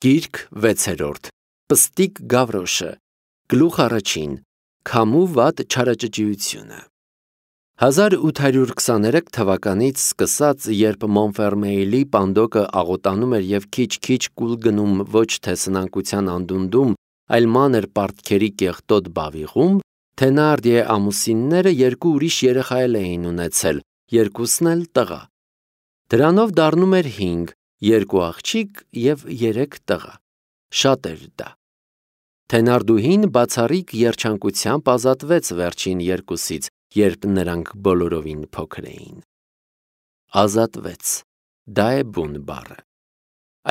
Գիրք 6-րդ Պստիկ Գավրոշը Գլուխ առաջին Քամու վատ չարաճճիությունը 1823 թվականից սկսած, երբ Մոնֆերմեիլի պանդոկը աղոտանում էր և քիչ-քիչ կուլ գնում ոչ թե սնանկության անդունդում, այլ մանր պարտքերի կեղտոտ բավիղում, Թենարդիե ամուսինները երկու ուրիշ երեխա էին ունեցել, երկուսն էլ տղա։ Դրանով դառնում էր 5, 2 աղջիկ և 3 տղա։ Շատ էր դա։ Թենարդուհին բացառիկ երջանկությամբ ազատվեց վերջին երկուսից, երբ նրանք բոլորովին փոքր էին։ Ազատվեց, դա է բուն բառը։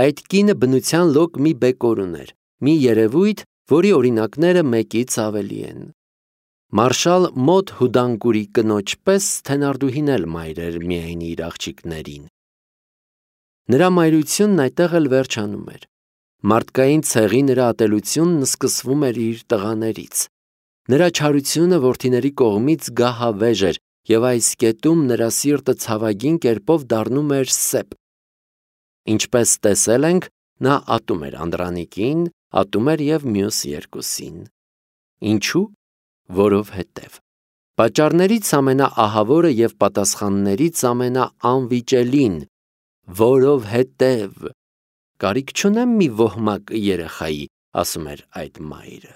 Այդ կինը բնության լոկ մի բեկոր ուներ, մի երևույթ, որի օրինակները մեկից ավելի են։ Մարշալ մոտ հուդանկուրի կնոջ պես Թենարդուհին էլ մայր էր միայն իր աղջիկներին։ Նրա մայրությունն այդտեղ էլ վերջանում էր։ Մարդկային ցեղի նրա ատելությունն սկսվում էր իր տղաներից։ Նրա չարությունը որդիների կողմից գահավեժ էր, և այս կետում նրա սիրտը ցավագին կերպով դառնում էր սեպ։ Ինչպես տեսել ենք, նա ատում էր Անդրանիկին, ատում էր և մյուս երկուսին։ Ինչու՞։ Որովհետև։ Պատճառներից ամենաահավորը և պատասխաններից ամենաանվիճելին։ Որովհետև։ Կարիք չունեմ մի ոհմակ երեխայի, ասում էր այդ մայրը։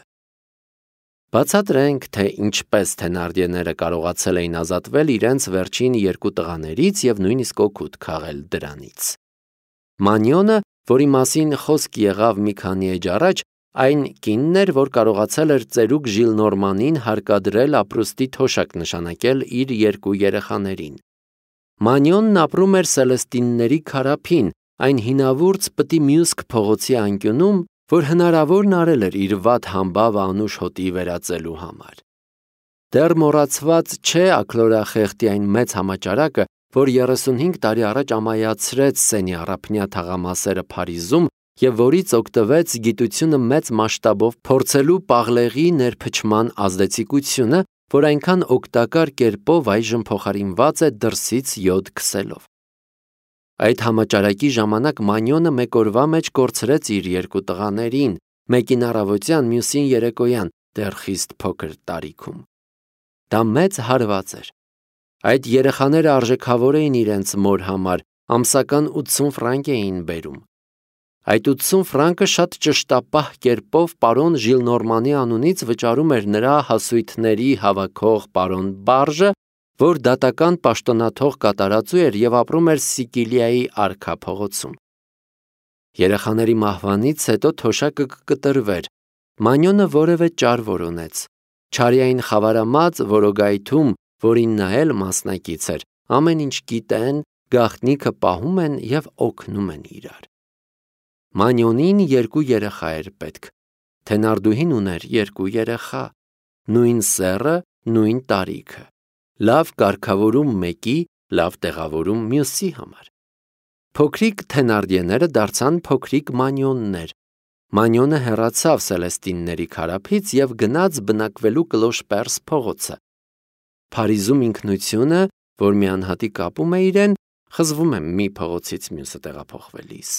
Բացատրենք, թե ինչպես Թենարդիեները կարողացել էին ազատվել իրենց վերջին երկու տղաներից և նույնիսկ օգուտ քաղել դրանից։ Մանյոնը, որի մասին խոսք եղավ մի քանի էջ առաջ, այն կինն էր, որ կարողացել էր ծերուկ Ժիլնորմանին հարկադրել ապրուստի թոշակ նշանակել իր երկու երեխաներին։ Մանյոնն ապրում էր Սելեստինների քարափին, այն հինավուրց պտի Մյուսք փողոցի անկյունում, որ հնարավորն արել էր իր վատ համբավը անուշ հոտի վերածելու համար։ Դեռ մոռացված չէ աքլորախեղդի այն մեծ համաճարակը, որ 35 տարի առաջ ամայացրեց Սենի առափնյա թաղամասերը Փարիզում և որից օգտվեց գիտությունը մեծ մասշտաբով փորձելու պաղլեղի ներփչման ազդեցիկությունը, որ այնքան օգտակար կերպով այժմ փոխարինված է դրսից յոդ քսելով։ Այդ համաճարակի ժամանակ Մանյոնը մեկ օրվա մեջ կորցրեց իր երկու տղաներին, մեկին առավոտյան, մյուսին երեկոյան, դեռ խիստ փոքր տարիքում։ Դա մեծ հարված էր։ Այդ երեխաները արժեքավոր էին իրենց մոր համար, ամսական 80 ֆրանկ էին բերում։ Այդ 80 ֆրանկը շատ ճշտապահ կերպով պարոն Ժիլնորմանի անունից վճարում էր նրա հասույթների հավաքող պարոն Բարժը, որ դատական պաշտոնաթող կատարածու էր և ապրում էր Սիկիլիայի արքա փողոցում։ Երեխաների մահվանից հետո թոշակը կկտրվեր։ Մանյոնը որևէ ճար որոնեց։ Չարյային խավարամած որոգայթում, որին նա էլ մասնակից էր, ամեն ինչ գիտեն, գաղտնիքը պահում են և օգնում են իրար։ Մանյոնին երկու երեխա էր պետք։ Թենարդուհին ուներ երկու երեխա, նույն սեռը, նույն տարիքը, լավ կարգավորում մեկի, լավ տեղավորում մյուսի համար։ Փոքրիկ Թենարդիեները դարձան փոքրիկ Մանյոններ։ Մանյոնը հեռացավ Սելեստինների քարափից և գնաց բնակվելու Կլոշպերս փողոցը։ Փարիզում ինքնությունը, որ մի անհատի կապում է իրեն, խզվում է մի փողոցից մյուսը տեղափոխվելիս։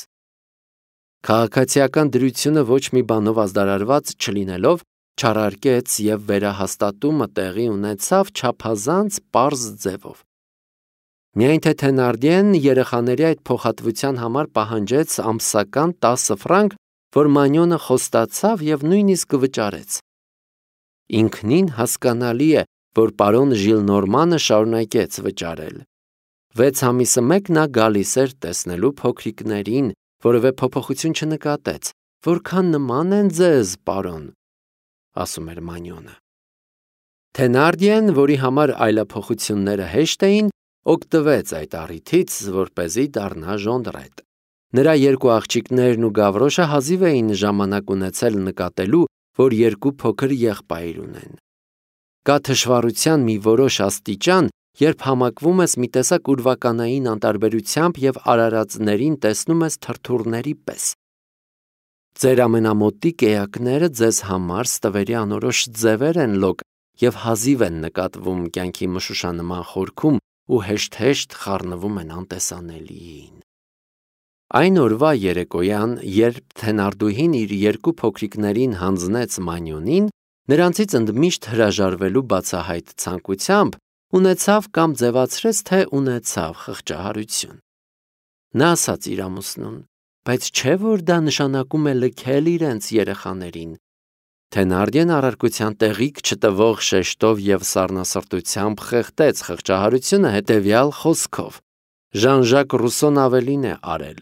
Քաղաքացիական դրությունը ոչ մի բանով ազդարարված չլինելով, չարարկեց և վերահաստատումը տեղի ունեցավ չափազանց պարզ ձևով։ Միայն թե Թենարդիեն երեխաների այդ փոխհատվության համար պահանջեց ամսական 10 ֆրանկ, որ Մանյոնը խոստացավ և նույնիսկ վճարեց։ Ինքնին հասկանալի է, որ պարոն Ժիլնորմանը շարունակեց վճարել։ 6 ամիսը մեկ նա գալիս էր տեսնելու փոքրիկներին, որևէ փոփոխություն չնկատեց։ Որքան նման են ձեզ, պարոն, ասում էր Մանյոնը։ Թենարդիեն, որի համար այլափոխությունները հեշտ էին, օգտվեց այդ առիթից, որպեսզի դառնա ժոնդրետ։ Նրա երկու աղջիկներն ու Գավրոշը հազիվ էին ժամանակ ունեցել նկատելու, որ երկու փոքր եղբայր ունեն։ Կա թշվառության մի որոշ աստիճան, երբ համակվում ես մի տեսակ ուրվականային անտարբերությամբ և արարածներին տեսնում ես թրթուրների պես։ Ձեր ամենամոտիկ էակները ձեզ համար ստվերի անորոշ ձևեր են լոկ և հազիվ են նկատվում կյանքի մշուշանման խորքում ու հեշտ-հեշտ խառնվում են անտեսանելիին։ Այն օրվա երեկոյան, երբ Թենարդուհին իր երկու փոքրիկներին հանձնեց Մանյոնին, նրանցից ընդմիշտ հրաժարվելու բացահայտ ցանկությամբ ունեցավ կամ ձևացրեց, թե ունեցավ խղճահարություն։ Նա ասաց իր ամուսնուն. բայց չէ՞ որ դա նշանակում է լքել իրենց երեխաներին։ Թենարդիեն առարկության տեղիք չտվող շեշտով և սառնասրտությամբ խեղդեց խղճահարությունը հետևյալ խոսքով. Ժան-Ժակ Ռուսոն ավելին է արել։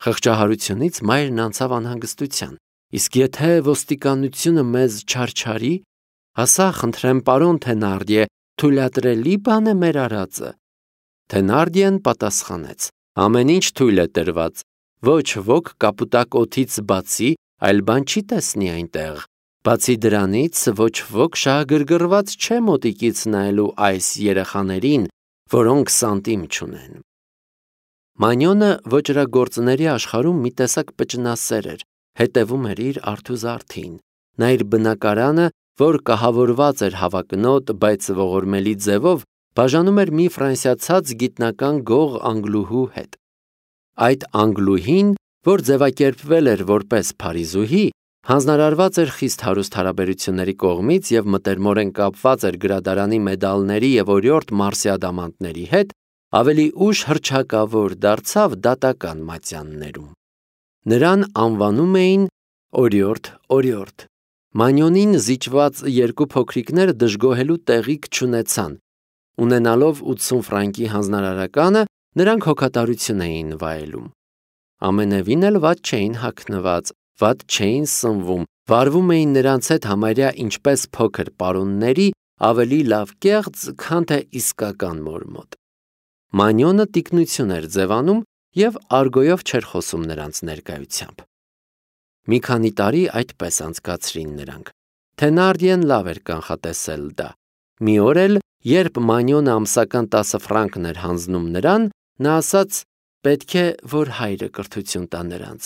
Խղճահարությունից մայրն անցավ անհանգստության։ Իսկ եթե ոստիկանությունը մեզ չարչարի, ասա, խնդրեմ, պարոն Թենարդիե, թույլատրելի բան է մեր արածը։ Թենարդիեն պատասխանեց. ամեն ինչ թույլ է տրված, ոչ ոք կապուտակ օդից բացի այլ բան չի տեսնի այնտեղ։ Բացի դրանից ոչ ոք շահագրգռված չէ մոտիկից նայելու այս երեխաներին, որոնք սանտիմ չունեն։ Մանյոնը ոճրագործների աշխարհում մի տեսակ պճնասեր էր, հետևում էր իր արթուզարդին։ Նա իր բնակարանը, որ կահավորված էր հավակնոտ, բայց ողորմելի ձևով, բաժանում էր մի ֆրանսիացած գիտնական գող անգլուհու հետ։ Այդ անգլուհին, որ ձևակերպվել էր որպես փարիզուհի, հանձնարարված էր խիստ հարուստ հարաբերությունների կողմից և մտերմորեն կապված էր գրադարանի մեդալների և օրիորդ մարսիադամանտների հետ, ավելի ուշ հռչակավոր դարձավ դատական մատյաններում։ Նրան անվանում էին օրիորդ։ Մանյոնին զիջված երկու փոքրիկները դժգոհելու տեղիք չունեցան։ Ունենալով 80 ֆրանկի հանձնարարականը, նրանք հոգատարություն էին վայելում։ Ամենևին էլ վատ չէին հագնված, վատ չէին սնվում, վարվում էին նրանց հետ համարյա ինչպես փոքր պարոնների, ավելի լավ կեղծ, քան թե իսկական մոր մոտ։ Մանյոնը տիկնություն էր ձևանում և արգոյով չէր խոսում նրանց ներկայությամբ։ Մի քանի տարի այդպես անցկացրին նրանք։ Թենարդիեն լավ էր կանխատեսել դա։ Մի օր էլ, երբ Մանյոնը ամսական 10 ֆրանկն էր հանձնում նրան, նա ասաց. պետք է, որ հայրը կրթություն տա նրանց։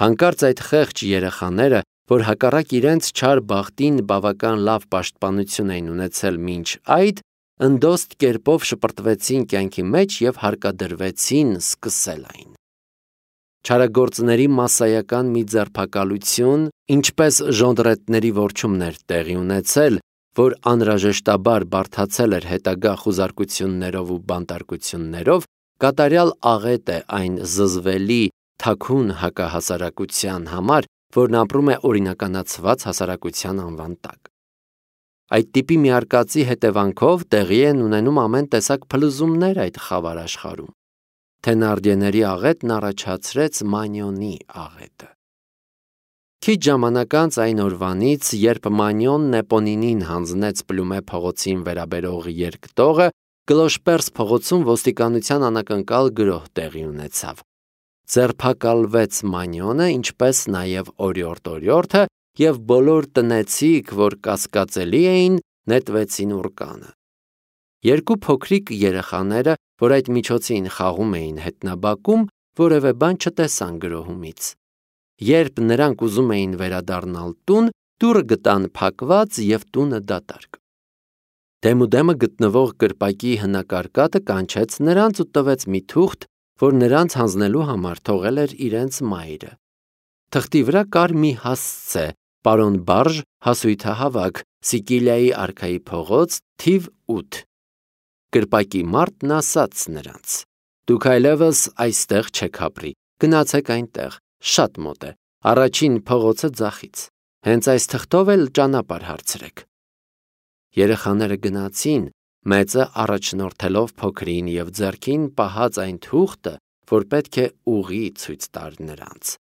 Հանկարծ այդ խեղճ երեխաները, որ հակառակ իրենց չար բախտին բավական լավ պաշտպանություն էին ունեցել մինչ այդ, ընդոստ կերպով շպրտվեցին կյանքի մեջ և հարկադրվեցին սկսել այն։ Չարագործների մասսայական մի ձերբակալություն, ինչպես ժոնդրետների որջումն էր տեղի ունեցել, որ անհրաժեշտաբար բարդացել էր հետագա խուզարկություններով ու բանտարկություններով, կատարյալ աղետ է այն զզվելի, թաքուն հակահասարակության համար, որն ապրում է օրինականացված հասարակության անվան տակ։ Այդ տիպի մի արկածի հետևանքով տեղի են ունենում ամեն տեսակ փլուզումներ այդ խավար աշխարհում։ Թենարդիեների աղետն առաջացրեց Մանյոնի աղետը։ Քիչ ժամանակ անց այն օրվանից, երբ Մանյոնն Էպոնինին հանձնեց Պլումե փողոցին վերաբերող երկտողը, Կլոշպերս փողոցում ոստիկանության անակնկալ գրոհ տեղի ունեցավ։ Ձերբակալվեց Մանյոնը, ինչպես նաև օրիորդը և բոլոր տնեցիք, որ կասկածելի էին, նետվեցին ուռկանը։ Երկու փոքրիկ երեխաները, որ այդ միջոցին խաղում էին հետնաբակում, որևէ բան չտեսան գրոհումից։ Երբ նրանք ուզում էին վերադառնալ տուն, դուռը գտան փակված և տունը դատարկ։ Դեմուդեմը գտնվող կրպակի հնակարկատը կանչեց նրանց ու տվեց մի թուղթ, որ նրանց հանձնելու համար թողել էր իրենց մայրը։ Թղթի վրա կար մի հասցե, պարոն Բարժ, հասույթահավաք, Սիկիլիայի արքայի փողոց, թիվ 8։ Կրպակի մարդն ասաց նրանց. դուք այլևս այստեղ չեք ապրի, գնացեք այնտեղ, շատ մոտ է, առաջին փողոցը ձախից, հենց այս թղթով էլ ճանապարհ հարցրեք։ Երեխաները գնացին, մեծը առաջնորդելով փոքրին և ձեռքին պահած այն թուղթը, որ պետք է ուղի ցույց տար նրանց։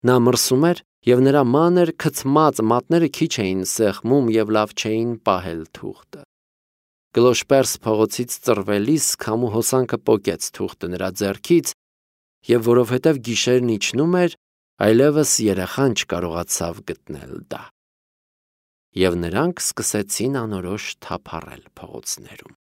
Նա մրսում էր, և նրա մանր քցմած մատները քիչ էին սեղմում և լավ չէին պահել թուղթը։ Կլոշպերս փողոցից ծռվելիս քամու հոսանքը պոկեց թուղթը նրա ձեռքից, և որովհետև գիշերն իջնում էր, այլևս երեխան չկարողացավ գտնել դա։ Եվ նրանք սկսեցին անորոշ թափառել փողոցներում։